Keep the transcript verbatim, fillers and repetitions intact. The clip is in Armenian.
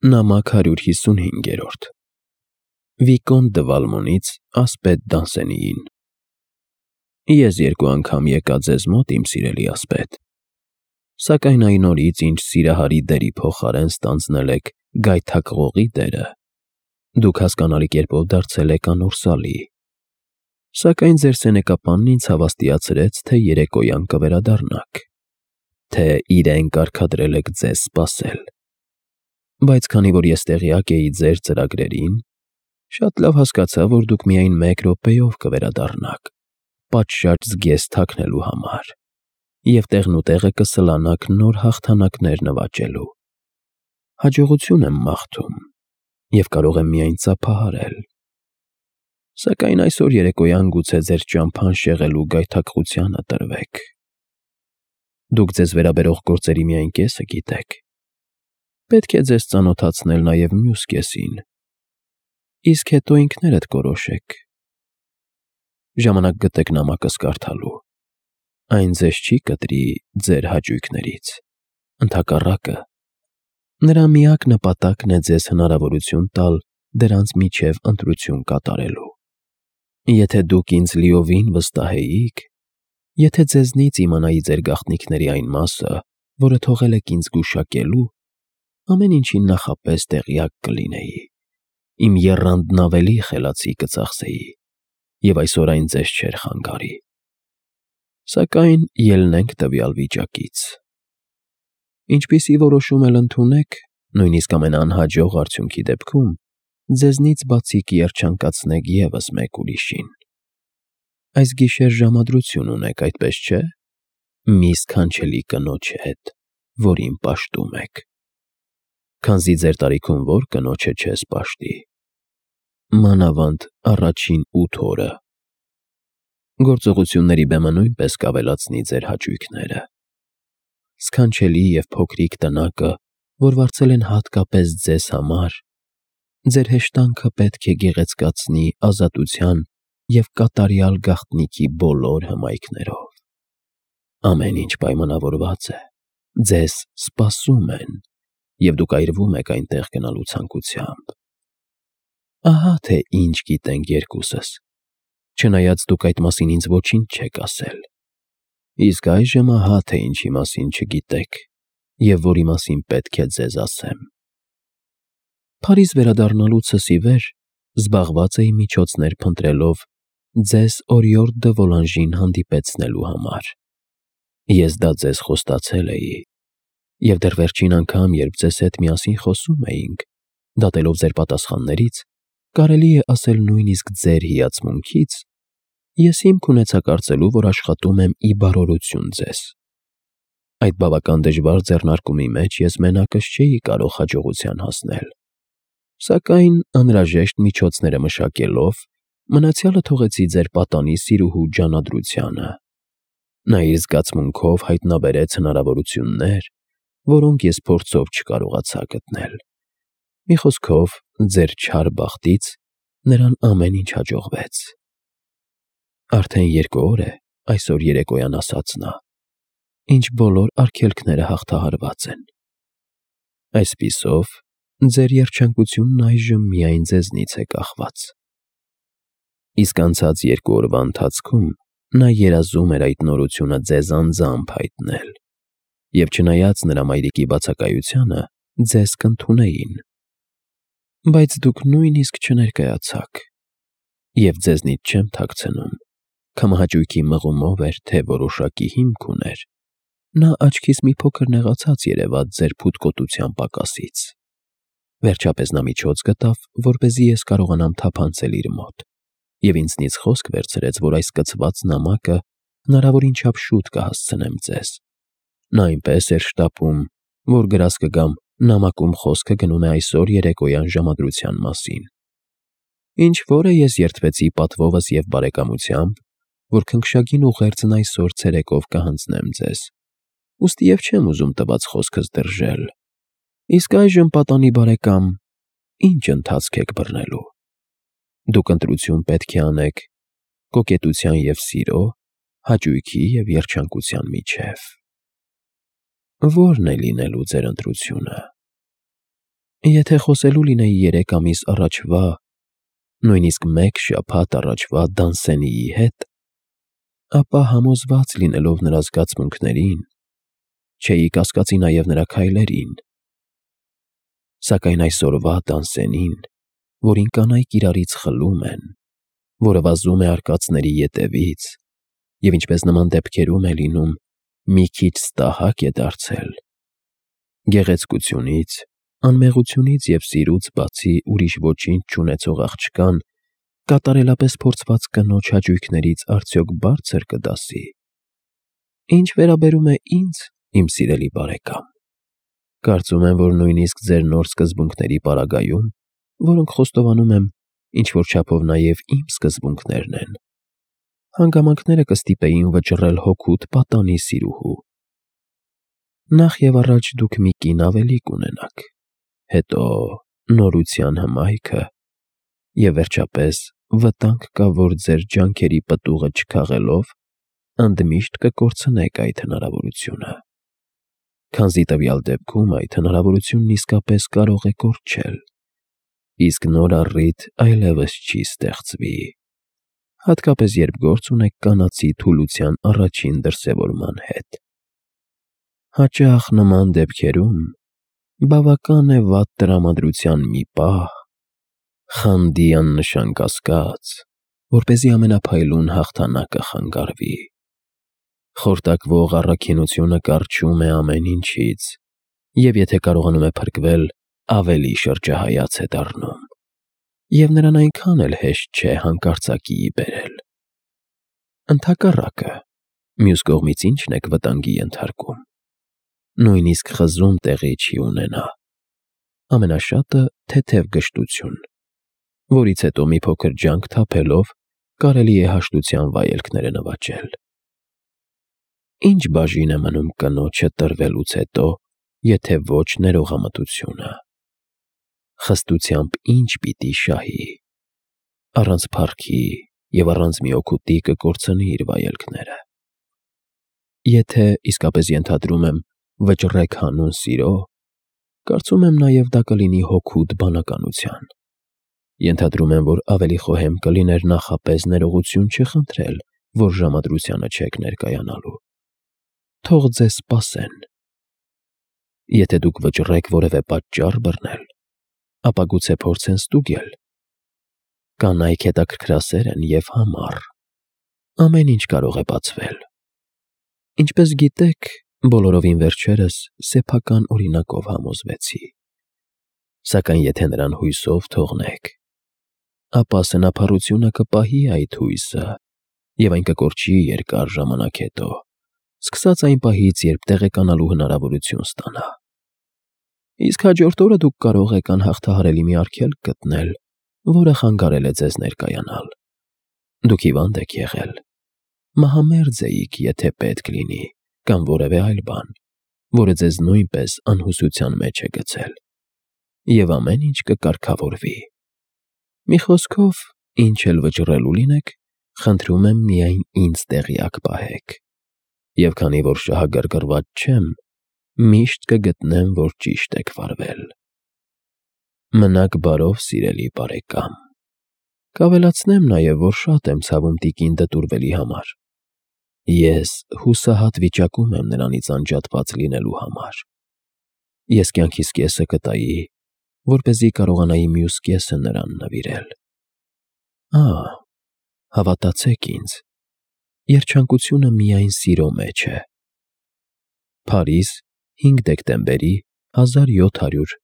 Նամակ հարյուր հիսունհինգերորդ Վիկոն դը Վալմոնից ասպետ Դանսենիին Ես երկու անգամ եկա ձեզ մոտ, իմ սիրելի ասպետ, սակայն այն օրից, ինչ սիրահարի դերի փոխարեն ստանձնել եք գայթակղողի դերը, դուք հասկանալի կերպով դարձել եք անորսալի, սակայն ձեր սենեկապանն ինձ հավաստիացրեց, թե երեկոյան կվերադառնաք, թե իրեն կարգադրել եք ձեզ սպասել, բայց քանի որ ես տեղյակ էի ձեր ծրագրերին, շատ լավ հասկացա, որ դուք միայն մեկ րոպեով կվերադառնաք, պատշաճ զգեստ թաքնելու համար, և տեղնուտեղը կսլանաք նոր հաղթանակներ նվաճելու, հաջողություն եմ մաղթում և կարող եմ միայն ծափահարել, սակայն այսօր երեկոյան գուցե ձեր ճամփան շեղելու գայթակղությանը տրվեք, դուք ձեզ վերաբերող գործերի միայն կեսը գիտեք, պետք է ձեզ ծանոթացնել նաև մյուս կեսին, իսկ հետո ինքներդ կորոշեք, ժամանակ գտեք նամակս կարդալու, այն ձեզ չի կտրի ձեր հաճույքներից, ընդհակառակը, նրա միակ նպատակն է ձեզ հնարավորություն տալ դրանց միջև ընտրություն կատարելու, եթե դուք ինձ լիովին վստահեիք, եթե ձեզնից իմանայի ձեր գաղտնիքների այն մասը, որը թողել եք ինձ գուշակելու, ամեն ինչին նախապես տեղյակ կլինեի, իմ եռանդն ավելի խելացի կծախսեի, և այսօր այն ձեզ չէր խանգարի, սակայն ելնենք տվյալ վիճակից, ինչպիսի որոշում էլ ընդունեք, նույնիսկ ամենաանհաջող արդյունքի դեպքում, ձեզնից բացի կերջանկացնեք ևս մեկ ուրիշին, այս գիշեր ժամադրություն ունեք, այդպես չէ, մի սքանչելի կնոջ հետ, որին պաշտում եք, քանզի ձեր տարիքում որ կնոջը չես պաշտի, մանավանդ առաջին ութ օրը, գործողությունների բեմը նույնպես կավելացնի ձեր հաճույքները, սքանչելի և փոքրիկ տնակը, որ վարձել են հատկապես ձեզ համար, ձեր հեշտանքը պետք է գեղեցկացնի ազատության և կատարյալ գաղտնիքի բոլոր հմայքներով, ամեն ինչ պայմանավորված է, ձեզ սպասում են, և դուք այրվում եք այնտեղ գնալու ցանկությամբ, ահա թե ինչ գիտենք երկուսս, չնայած դուք այդ մասին ինձ ոչինչ չեք ասել, իսկ այժմ ահա թե ինչի մասին չգիտեք և որի մասին պետք է ձեզ ասեմ, Փարիզ վերադառնալուցս ի վեր զբաղված էի միջոցներ փնտրելով ձեզ օրիորդ դը Վոլանժին հանդիպեցնելու համար, ես դա ձեզ խոստացել էի, և դեռ վերջին անգամ, երբ ձեզ հետ միասին խոսում էինք, դատելով ձեր պատասխաններից, կարելի է ասել նույնիսկ ձեր հիացմունքից, ես հիմք ունեցա կարծելու, որ աշխատում եմ ի բարօրություն ձեզ, այդ բավական դժվար ձեռնարկումի մեջ ես մենակս չէի կարող հաջողության հասնել, սակայն անհրաժեշտ միջոցները մշակելով, մնացյալը թողեցի ձեր պատանի սիրուհու ջանադրությանը, նա իր զգացմունքով հայտնաբերեց հնարավորություններ, որոնք ես փորձով չկարողացա գտնել, մի խոսքով, ձեր չար բախտից նրան ամեն ինչ հաջողվեց, արդեն երկու օր է, այսօր երեկոյան ասաց նա, ինչ բոլոր արգելքները հաղթահարված են, այսպիսով, ձեր երջանկությունն այժմ միայն ձեզնից է կախված, իսկ անցած երկու օրվա ընթացքում նա երազում էր այդ նորությունը ձեզ անձամբ հայտնել, և չնայած նրա մայրիկի բացակայությանը, ձեզ կընդունեին, բայց դուք նույնիսկ չներկայացաք, և ձեզնից չեմ թաքցնում, քամահաճույքի մղումով էր, թե որոշակի հիմք ուներ, նա աչքիս մի փոքր նեղացած երևաց ձեր փութկոտության պակասից, վերջապես նա միջոց գտավ, որպեսզի ես կարողանամ թափանցել իր մոտ, և ինձնից խոսք վերցրեց, որ այս կցված նամակը հնարավորին չափ շուտ կհասցնեմ ձեզ, նա այնպես էր շտապում, որ գրած կգամ, նամակում խոսքը գնում է այսօր երեկոյան ժամադրության մասին, ինչ որ է ես երդվեցի պատվովս և բարեկամությամբ, որ քնքշագին ուղերձն այսօր ցերեկով կհանձնեմ ձեզ, ուստի և չեմ ուզում տված խոսքս դրժել, իսկ այժմ պատանի բարեկամ, ինչ ընթացք եք բռնելու, դուք ընտրություն պետք է անեք կոկետության և սիրո, հաճույքի և երջանկության միջև, ո՞րն է լինելու ձեր ընտրությունը, Եթե խոսելու լինեի երեք ամիս առաջվա, նույնիսկ մեկ շաբաթ առաջվա Դանսենիի հետ, ապա համոզված լինելով նրա զգացմունքներին, չէի կասկածի նաև նրա քայլերին։ Սակայն այսօրվա Դանսենին, որին կանայք իրարից խլում են, որը վազում է արկածների ետևից, և ինչպես նման դեպքերում է լինում, մի քիչ ստահակ է դարձել, գեղեցկությունից, անմեղությունից և սիրուց բացի ուրիշ ոչինչ չունեցող աղջկան կատարելապես փորձված կնոջ հաճույքներից արդյոք բարձր կդասի։ Ինչ վերաբերում է ինձ, իմ սիրելի բարեկամ, կարծում եմ, որ նույնիսկ ձեր նոր սկզբունքների պարագայում, որոնք խոստովանում եմ, ինչ-որ չափով նաև իմ սկզբունքներն են, հանգամանքները կստիպեին վճռել հօգուտ պատանի սիրուհու։ Նախ և առաջ դուք մի կին ավելի կունենաք, հետո նորության հմայքը, և վերջապես վտանգ կա, որ ձեր ջանքերի պտուղը չքաղելով, ընդմիշտ կկորցնեք այդ հնարավորությունը, քանզի տվյալ դեպքում այդ հնարավորությունն իսկապես կարող է կորչել, իսկ նոր առիթ այլևս չի ստեղծվի, հատկապես երբ գործ ունեք կանացի թուլության առաջին դրսևորման հետ։ Հաճախ նման դեպքերում բավական է վատ տրամադրության մի պահ, խանդի աննշան կասկած, որպեսզի ամենափայլուն հաղթանակը խանգարվի։ Խորտակվող առաքինությունը կառչում է ամեն ինչից, և եթե կարողանում է փրկվել, ավելի շրջահայաց է դառնում, և նրան այնքան էլ հեշտ չէ հանկարծակիի բերել։ Ընդհակառակը, մյուս կողմից ի՞նչն եք վտանգի ենթարկում։ Նույնիսկ խզում տեղի չի ունենա, ամենաշատը թեթև գժտություն, որից հետո մի փոքր ջանք թափելով կարելի է հաշտության վայելքները նվաճել։ Ինչ բաժին է մնում կնոջը տրվելուց հետո, եթե ոչ ներողամտությունը։ Խստությամբ ինչ պիտի շահի։ Առանց փառքի և առանց մի օգուտի կկորցնի իր վայելքները։ Եթե, իսկապես ենթադրում եմ, վճռեք հանուն սիրո, կարծում եմ նաև դա կլինի հօգուտ բանականության։ Ենթադրում եմ, որ ավելի խոհեմ կլիներ նախապես ներողություն չխնդրել, որ ժամադրությանը չեք ներկայանալու։ Թող ձեզ սպասեն։ Եթե դուք վճռեք որևէ պատճառ բռնել, ապա գուցե փորձեն ստուգել։ Կանայք հետաքրքրասեր են և համառ։ Ամեն ինչ կարող է բացվել։ Ինչպես գիտեք, բոլորովին վերջերս սեփական օրինակով համոզվեցի։ Սակայն եթե նրան հույսով թողնեք, ապա սնափառությունը կպահի այդ հույսը, և այն կկորչի երկար ժամանակ հետո, սկսած այն պահից, երբ տեղեկանալու հնարավորություն ստանա։ Իսկ հաջորդ օրը դուք կարող եք անհաղթահարելի մի արգելք գտնել, որը խանգարել է ձեզ ներկայանալ։ Դուք հիվանդ եք եղել, մահամերձ էիք, եթե պետք լինի, կամ որևէ այլ բան, որը ձեզ նույնպես անհուսության մեջ է գցել, և ամեն ինչ կկարգավորվի։ Մի խոսքով, ինչ էլ վճռելու լինեք, խնդրում եմ միայն ինձ տեղյակ պահեք, և քանի որ շահագրգռված չեմ, միշտ կգտնեմ, որ ճիշտ եք վարվել։ Մնաք բարով, սիրելի բարեկամ։ Կավելացնեմ նաև, որ շատ եմ ցավում տիկին դտուրվելի համար։ Ես հուսահատ վիճակում եմ նրանից անջատված լինելու համար։ Ես կյանքիս կեսը կտայի, որպեսզի կարողանայի մյուս կեսը նրան նվիրել։ Ահ, հավատացեք ինձ, երջանկությունը միայն սիրո մեջ է։ Փարիզ, հինգ դեկտեմբերի հազար յոթ հարյուր